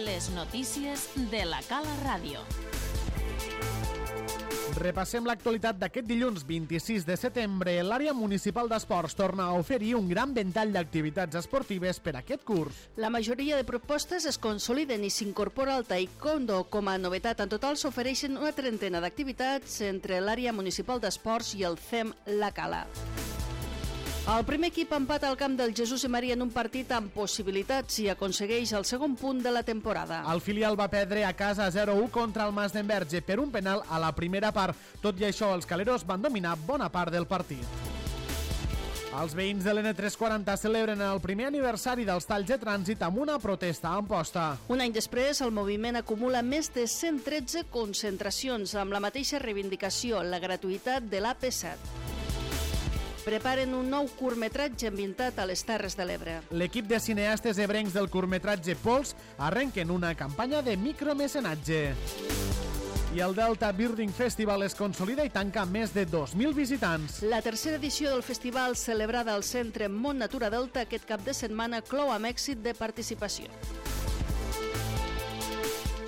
Les notícies de la Cala Ràdio. Repassem l'actualitat d'aquest dilluns 26 de setembre. L'àrea municipal d'esports torna a oferir un gran ventall d'activitats esportives per a aquest curs. La majoria de propostes es consoliden i s'incorpora el taekwondo. Com a novetat, en total s'ofereixen una trentena d'activitats entre l'àrea municipal d'esports i el CEM La Cala. El primer equip empata al camp del Jesús i Maria en un partit amb possibilitats i aconsegueix el segon punt de la temporada. El filial va perdre a casa 0-1 contra el Mas d'Enverge per un penal a la primera part. Tot i això, els caleros van dominar bona part del partit. Els veïns de l'N340 celebren el primer aniversari dels talls de trànsit amb una protesta a Amposta. Un any després, el moviment acumula més de 113 concentracions amb la mateixa reivindicació, la gratuïtat de l'AP7. Preparen un nou curtmetratge ambientat a les Terres de l'Ebre. L'equip de cineastes ebrencs del curtmetratge Pols arrenquen una campanya de micromecenatge. I el Delta Birding Festival es consolida i tanca més de 2.000 visitants. La tercera edició del festival, celebrada al Centre Mont Natura Delta aquest cap de setmana, clou amb èxit de participació.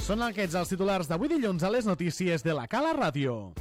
Són aquests els titulars d'avui dilluns a les notícies de la Cala Ràdio.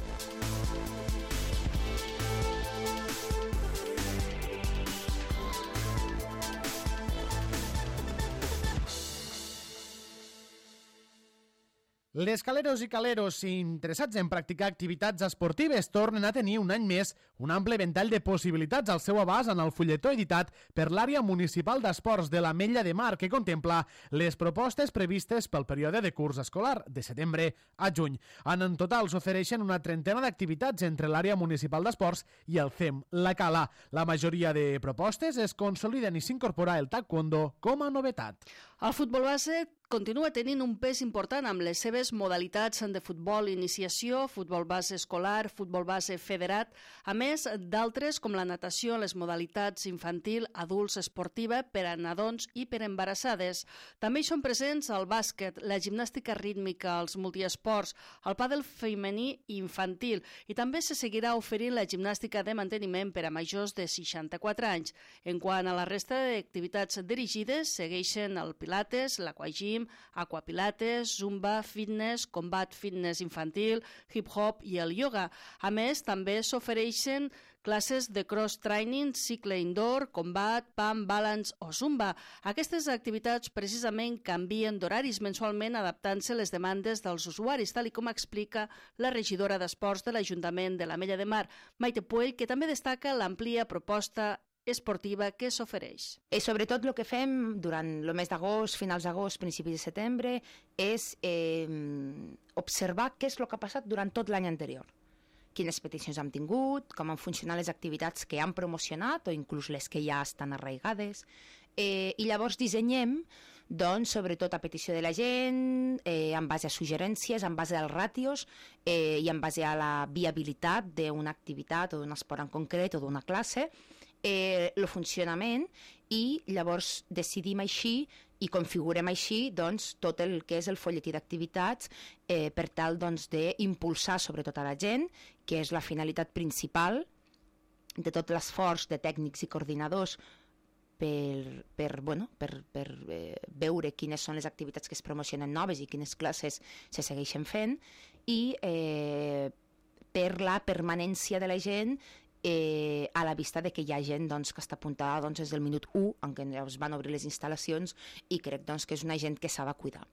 Les caleros i caleros interessats en practicar activitats esportives tornen a tenir un any més un ample ventall de possibilitats al seu abast en el fulletó editat per l'àrea municipal d'esports de l'Ametlla de Mar, que contempla les propostes previstes pel període de curs escolar de setembre a juny. En total s'ofereixen una trentena d'activitats entre l'àrea municipal d'esports i el CEM La Cala. La majoria de propostes es consoliden i s'incorpora el taekwondo com a novetat. El futbol base continua tenint un pes important amb les seves modalitats de futbol iniciació, futbol base escolar, futbol base federat, a més d'altres com la natació, les modalitats infantil, adults, esportiva, per a nadons i per a embarassades. També hi són presents el bàsquet, la gimnàstica rítmica, els multiesports, el pàdel femení i infantil, i també se seguirà oferint la gimnàstica de manteniment per a majors de 64 anys. En quant a la resta d'activitats dirigides, segueixen el pilates, l'aquagym, aquapilates, zumba, fitness, combat fitness infantil, hip-hop i el yoga. A més, també s'ofereixen classes de cross-training, cicle indoor, combat, pump, balance o zumba. Aquestes activitats precisament canvien d'horaris mensualment adaptant-se a les demandes dels usuaris, tal com explica la regidora d'Esports de l'Ajuntament de l'Ametlla de Mar, Maite Puell, que també destaca l'àmplia proposta esportiva que s'ofereix. I sobretot el que fem durant el mes d'agost, finals d'agost, principis de setembre, és observar què és el que ha passat durant tot l'any anterior. Quines peticions hem tingut, com han funcionat les activitats que han promocionat o inclús les que ja estan arraigades. I llavors dissenyem, doncs, sobretot a petició de la gent, en base a suggerències, en base als ràtios i en base a la viabilitat d'una activitat o d'un esport en concret o d'una classe, el funcionament, i llavors decidim així i configurem així doncs, tot el que és el folletí d'activitats per tal doncs, d'impulsar sobretot a la gent, que és la finalitat principal de tot l'esforç de tècnics i coordinadors per veure quines són les activitats que es promocionen noves i quines classes se segueixen fent, i per la permanència de la gent a la vista de que hi ha gent doncs, que està apuntada doncs, des del minut 1 en què es van obrir les instal·lacions, i crec doncs, que és una gent que s'ha de cuidar.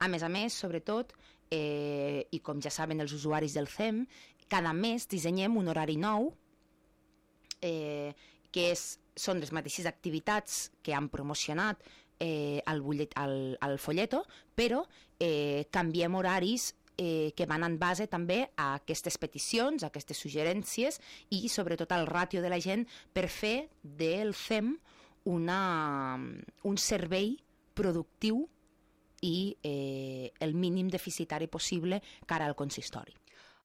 A més, sobretot, i com ja saben els usuaris del CEM, cada mes dissenyem un horari nou que són les mateixes activitats que han promocionat al folleto, però canviem horaris que van en base també a aquestes peticions, a aquestes suggerències i sobretot al ràtio de la gent per fer del CEM un servei productiu i el mínim deficitari possible cara al consistori.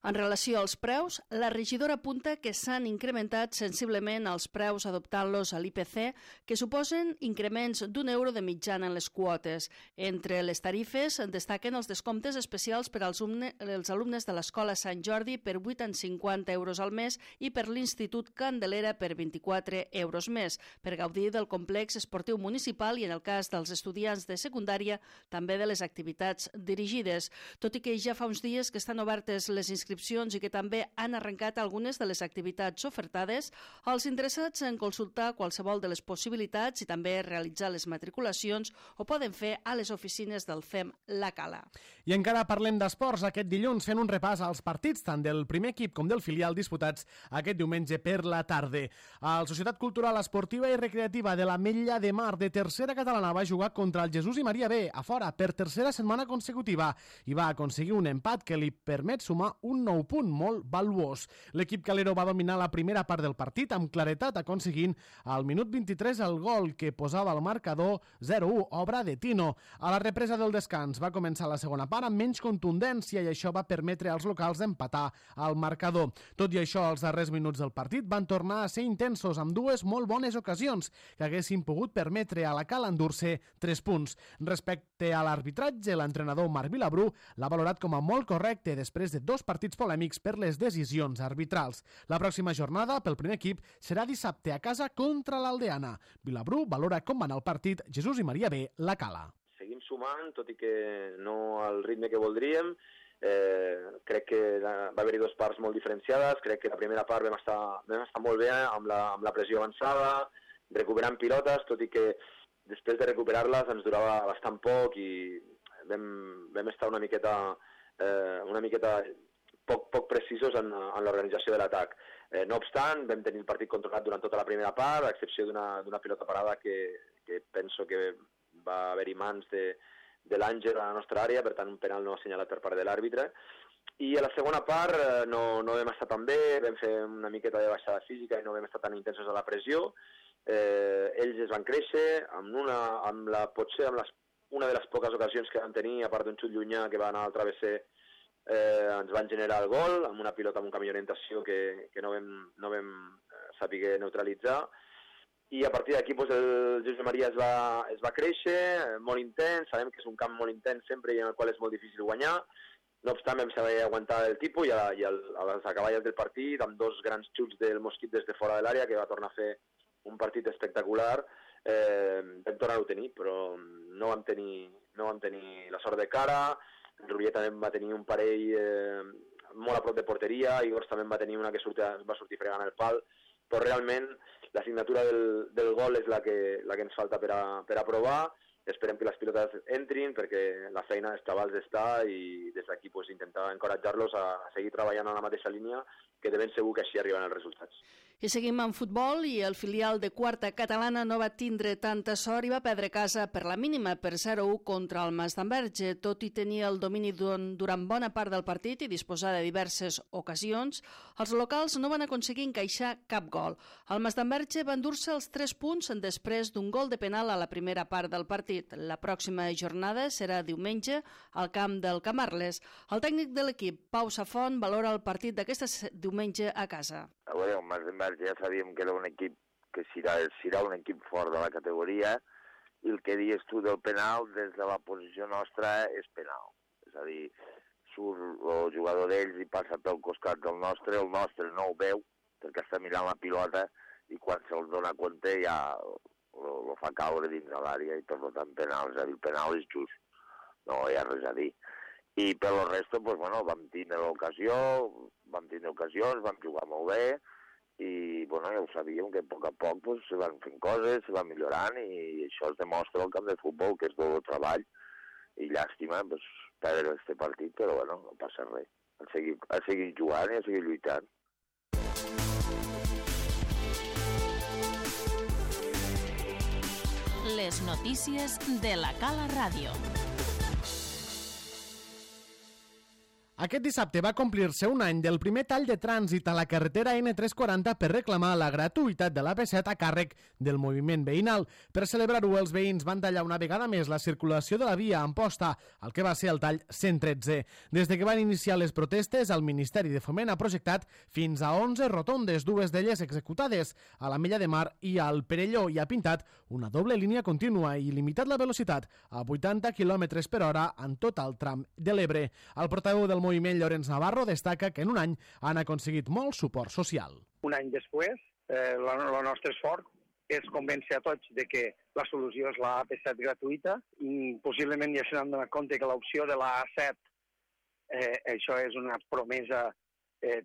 En relació als preus, la regidora apunta que s'han incrementat sensiblement els preus adoptant-los a l'IPC, que suposen increments d'€1 de mitjana en les quotes. Entre les tarifes destaquen els descomptes especials per als alumnes de l'Escola Sant Jordi per 8,50 € al mes i per l'Institut Candelera per 24 € més, per gaudir del complex esportiu municipal i, en el cas dels estudiants de secundària, també de les activitats dirigides. Tot i que ja fa uns dies que estan obertes les inscripcions i que també han arrencat algunes de les activitats ofertades, els interessats en consultar qualsevol de les possibilitats i també realitzar les matriculacions ho poden fer a les oficines del FEM La Cala. I encara parlem d'esports aquest dilluns, fent un repàs als partits tant del primer equip com del filial disputats aquest diumenge per la tarda. La Societat Cultural Esportiva i Recreativa de l'Ametlla de Mar de tercera catalana va jugar contra el Jesús i Maria B a fora per tercera setmana consecutiva i va aconseguir un empat que li permet sumar un nou punt molt valuós. L'equip calero va dominar la primera part del partit amb claretat, aconseguint al minut 23 el gol que posava el marcador 0-1, obra de Tino. A la represa del descans va començar la segona part amb menys contundència i això va permetre als locals empatar al marcador. Tot i això, els darrers minuts del partit van tornar a ser intensos amb dues molt bones ocasions que haguessin pogut permetre a la Cala endur-se 3 punts. Respecte a l'arbitratge, l'entrenador Marc Vilabrú l'ha valorat com a molt correcte després de 2 partits polèmics per les decisions arbitrals. La pròxima jornada pel primer equip serà dissabte a casa contra l'Aldeana. Vilabrú valora com va anar el partit Jesús i Maria B, La Cala. Seguim sumant, tot i que no al ritme que voldríem. Crec que va haver-hi 2 parts molt diferenciades. Crec que la primera part vam estar molt bé amb la pressió avançada, recuperant pilotes, tot i que després de recuperar-les ens durava bastant poc i vam estar una miqueta poc precisos en l'organització de l'atac. No obstant, vam tenir el partit controlat durant tota la primera part, a excepció d'una pilota parada que penso que va haver-hi mans de l'Àngel a la nostra àrea, per tant un penal no assenyalat per part de l'àrbitre. I a la segona part no vam estar tan bé, vam fer una miqueta de baixada física i no vam estar tan intensos a la pressió. Ells es van créixer, potser amb una de les poques ocasions que van tenir, a part d'un xut llunyà que va anar al travesser, ens van generar el gol amb una pilota amb un canvi d'orientació que no vam saber neutralitzar, i a partir d'aquí el Jesús Maria es va créixer, molt intens. Sabem que és un camp molt intens sempre i en el qual és molt difícil guanyar. No obstant, vam saber aguantar el tipus i a les acaballes del partit, amb 2 grans xuts del Mosquit des de fora de l'àrea, que va tornar a fer un partit espectacular, vam tornar-ho a tenir, però no vam tenir la sort de cara. Rubia també va tenir un parell molt a prop de porteria, Igor també va tenir una que va sortir fregant el pal, però realment la signatura del gol és la que ens falta per a provar. Esperem que les pilotes entrin perquè la feina dels xavals està i des d'aquí intentar encoratjar-los a seguir treballant en la mateixa línia, que de ben segur que així arriben els resultats. I seguim amb futbol i el filial de quarta catalana no va tindre tanta sort i va perdre casa per la mínima, per 0-1 contra el Masdenverge. Tot i tenir el domini durant bona part del partit i disposar de diverses ocasions, els locals no van aconseguir encaixar cap gol. El Masdenverge va endur-se els 3 punts després d'un gol de penal a la primera part del partit. La pròxima jornada serà diumenge al camp del Camarles. El tècnic de l'equip, Pau Safont, valora el partit d'aquest diumenge a casa. A veure, el Masdenverge ja sabíem que era un equip que serà un equip fort de la categoria, i el que dius tu del penal, des de la posició nostra, és penal. És a dir, surt el jugador d'ells i passa pel costat del nostre, el nostre no ho veu, perquè està mirant la pilota, i quan se'l dona compte ja lo fa caure dins de l'àrea, i per tant penal, és a dir, el penal és just, no hi ha res a dir. I per lo resto, vam tindre ocasions, vam jugar molt bé, i ja ho sabíem que a poc a poc se van fent coses, se van millorant, i això es demostra al camp de futbol, que és tot el treball, i llàstima perdre aquest partit, però no passa res. A seguir jugant i a seguir lluitant. Les notícies de la Cala Ràdio. Aquest dissabte va complir-se un any del primer tall de trànsit a la carretera N340 per reclamar la gratuïtat de l'AP7 a càrrec del moviment veïnal. Per celebrar-ho, els veïns van tallar una vegada més la circulació de la via a Amposta, el que va ser el tall 113. Des de que van iniciar les protestes, el Ministeri de Foment ha projectat fins a 11 rotondes, 2 d'elles executades a l'Ametlla de Mar i al Perelló, i ha pintat una doble línia contínua i limitat la velocitat a 80 km per hora en tot el tram de l'Ebre. El portaveu del moviment, Llorenç Navarro, destaca que en un any han aconseguit molt suport social. Un any després, el nostre esforç és convèncer a tots de que la solució és la AP7 gratuïta. Possiblement ja se n'han donat compte que l'opció de la A7, això és una promesa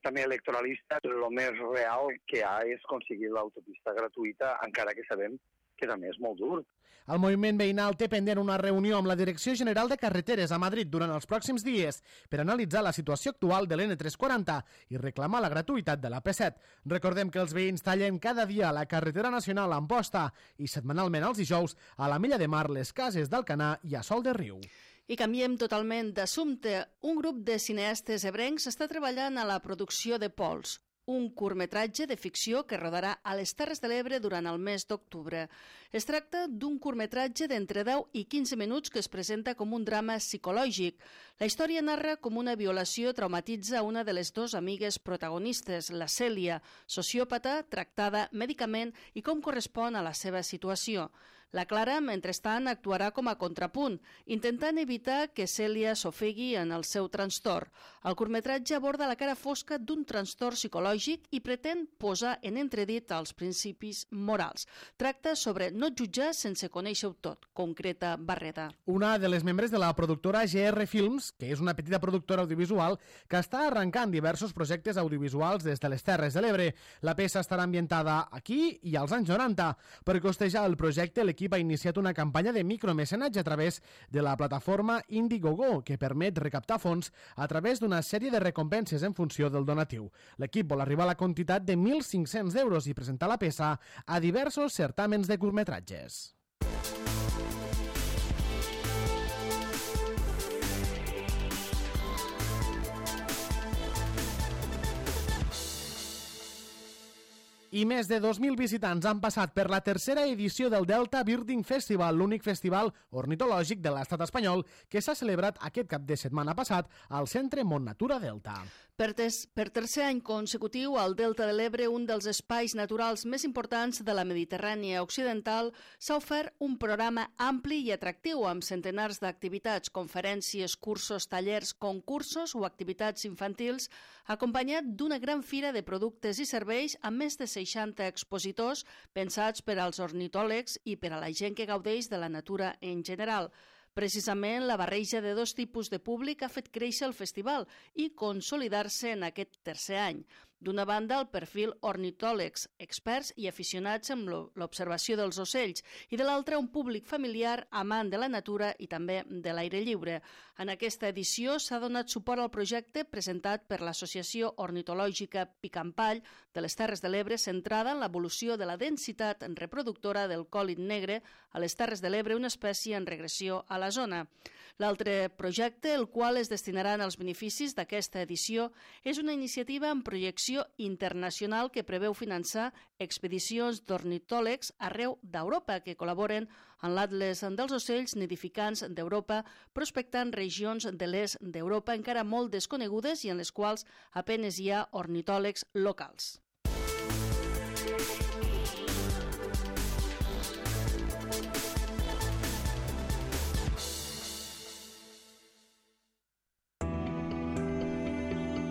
també electoralista. El més real que hi ha és aconseguir l'autopista gratuïta, encara que sabem que també és molt dur. El moviment veïnal té pendent una reunió amb la Direcció General de Carreteres a Madrid durant els pròxims dies per analitzar la situació actual de l'N340 i reclamar la gratuïtat de l'AP7. Recordem que els veïns tallen cada dia la carretera nacional a Amposta i setmanalment els dijous a l'Ametlla de Mar, les Cases d'Alcanar i a Sol de Riu. I canviem totalment d'assumpte. Un grup de cineastes ebrencs està treballant a la producció de Pols, un curtmetratge de ficció que rodarà a les Terres de l'Ebre durant el mes d'octubre. Es tracta d'un curtmetratge d'entre 10 i 15 minuts que es presenta com un drama psicològic. La història narra com una violació traumatitza una de les dues amigues protagonistes, la Cèlia, sociòpata, tractada mèdicament, i com correspon a la seva situació. La Clara, mentrestant, actuarà com a contrapunt, intentant evitar que Cèlia s'ofegui en el seu trastorn. El curtmetratge aborda la cara fosca d'un trastorn psicològic i pretén posar en entredit els principis morals. Tracta sobre no jutjar sense conèixer-ho tot, concreta Barreda. Una de les membres de la productora GR Films, que és una petita productora audiovisual que està arrencant diversos projectes audiovisuals des de les Terres de l'Ebre. La peça estarà ambientada aquí i als anys 90. Per costejar el projecte, l'equip ha iniciat una campanya de micromecenatge a través de la plataforma Indiegogo, que permet recaptar fons a través d'una sèrie de recompenses en funció del donatiu. L'equip vol arribar a la quantitat de 1.500 euros i presentar la peça a diversos certàmens de curtmetratges. I més de 2.000 visitants han passat per la tercera edició del Delta Birding Festival, l'únic festival ornitològic de l'estat espanyol que s'ha celebrat aquest cap de setmana passat al Centre Montnatura Delta. Per tercer any consecutiu, al Delta de l'Ebre, un dels espais naturals més importants de la Mediterrània occidental, s'ha ofert un programa ampli i atractiu amb centenars d'activitats, conferències, cursos, tallers, concursos o activitats infantils, acompanyat d'una gran fira de productes i serveis amb més de 60 expositors pensats per als ornitòlegs i per a la gent que gaudeix de la natura en general. Precisament, la barreja de dos tipus de públic ha fet créixer el festival i consolidar-se en aquest tercer any. D'una banda, el perfil ornitòlegs, experts i aficionats amb l'observació dels ocells, i de l'altra, un públic familiar, amant de la natura i també de l'aire lliure. En aquesta edició s'ha donat suport al projecte presentat per l'Associació Ornitològica Picampall de les Terres de l'Ebre, centrada en l'evolució de la densitat reproductora del còlit negre a les Terres de l'Ebre, una espècie en regressió a la zona. L'altre projecte, el qual es destinaran als beneficis d'aquesta edició, és una iniciativa en projecció internacional que preveu finançar expedicions d'ornitòlegs arreu d'Europa que col·laboren en l'Atles dels ocells nidificants d'Europa, prospectant regions de l'est d'Europa encara molt desconegudes i en les quals apenes hi ha ornitòlegs locals.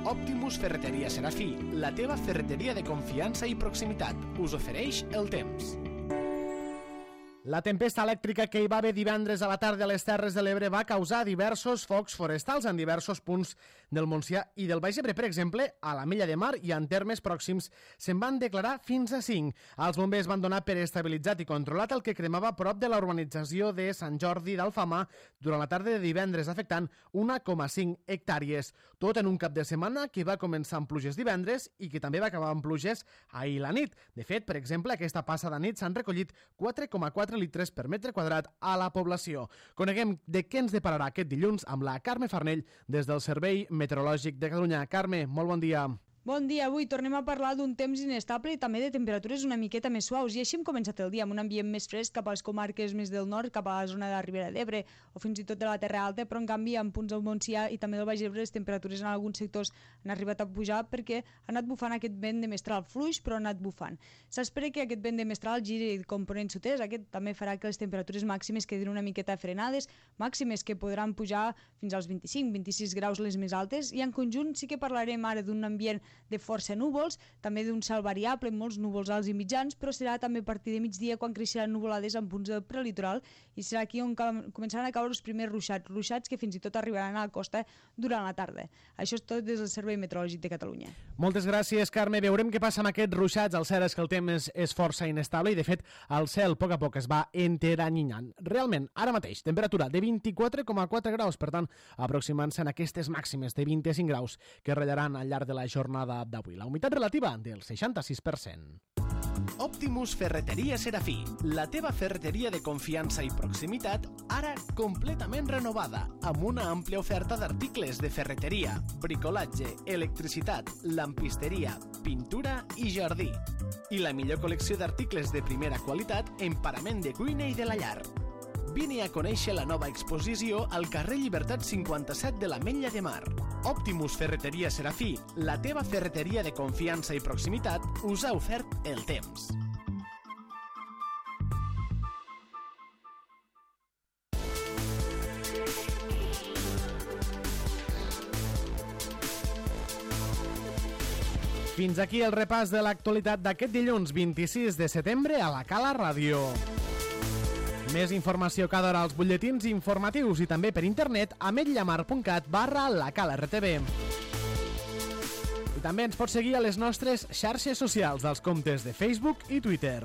Optimus Ferreteria Serafí, la teva ferreteria de confiança i proximitat, us ofereix el temps. La tempesta elèctrica que hi va haver divendres a la tarda a les Terres de l'Ebre va causar diversos focs forestals en diversos punts del Montsià i del Baix Ebre. Per exemple, a l'Ametlla de Mar i en termes pròxims se'n van declarar fins a 5. Els bombers van donar per estabilitzat i controlat el que cremava a prop de la urbanització de Sant Jordi d'Alfamar durant la tarda de divendres, afectant 1,5 hectàrees. Tot en un cap de setmana que va començar amb pluges divendres i que també va acabar amb pluges ahir la nit. De fet, per exemple, aquesta passada nit s'han recollit 4,4 4 litres per metre quadrat a la població. Coneguem de què ens depararà aquest dilluns amb la Carme Farnell des del Servei Meteorològic de Catalunya. Carme, molt bon dia. Bon dia, avui tornem a parlar d'un temps inestable i també de temperatures una miqueta més suaus. I així hem començat el dia amb un ambient més fresc cap a les comarques més del nord, cap a la zona de la Ribera d'Ebre o fins i tot de la Terra Alta, però en canvi en punts del Montsià i també del Baix Ebre les temperatures en alguns sectors han arribat a pujar perquè ha anat bufant aquest vent de mestral fluix, però ha anat bufant. S'espera que aquest vent de mestral giri el component sud-est. Aquest també farà que les temperatures màximes quedin una miqueta frenades, màximes que podran pujar fins als 25-26 graus les més altes, i en conjunt sí que parlarem ara d'un ambient de força núvols, també d'un cel variable, molts núvols alts i mitjans, però serà també a partir de migdia quan creixeran nuvolades en punts del prelitoral i serà aquí on començaran a caure els primers ruixats que fins i tot arribaran a la costa durant la tarda. Això és tot des del Servei Meteorològic de Catalunya. Moltes gràcies, Carme. Veurem què passa amb aquests ruixats. El cert és que el temps és força inestable i, de fet, el cel a poc es va enteranyinant. Realment, ara mateix, temperatura de 24,4 graus, per tant, aproximant-se en aquestes màximes de 25 graus que ratllaran al llarg de la jornada d'avui. La humitat relativa del 66%. Optimus Ferreteria Serafí, la teva ferreteria de confiança i proximitat, ara completament renovada, amb una àmplia oferta d'articles de ferreteria, bricolatge, electricitat, lampisteria, pintura i jardí. I la millor col·lecció d'articles de primera qualitat en parament de cuina i de la llar. Vine a conèixer la nova exposició al carrer Llibertat 57 de l'Ametlla de Mar. Optimus Ferreteria Serafí, la teva ferreteria de confiança i proximitat, us ha ofert el temps. Fins aquí el repàs de l'actualitat d'aquest dilluns 26 de setembre a la Cala Ràdio. Més informació cada hora als butlletins informatius i també per internet a ametlllamar.cat/lacalartv. I també ens pots seguir a les nostres xarxes socials dels comptes de Facebook i Twitter.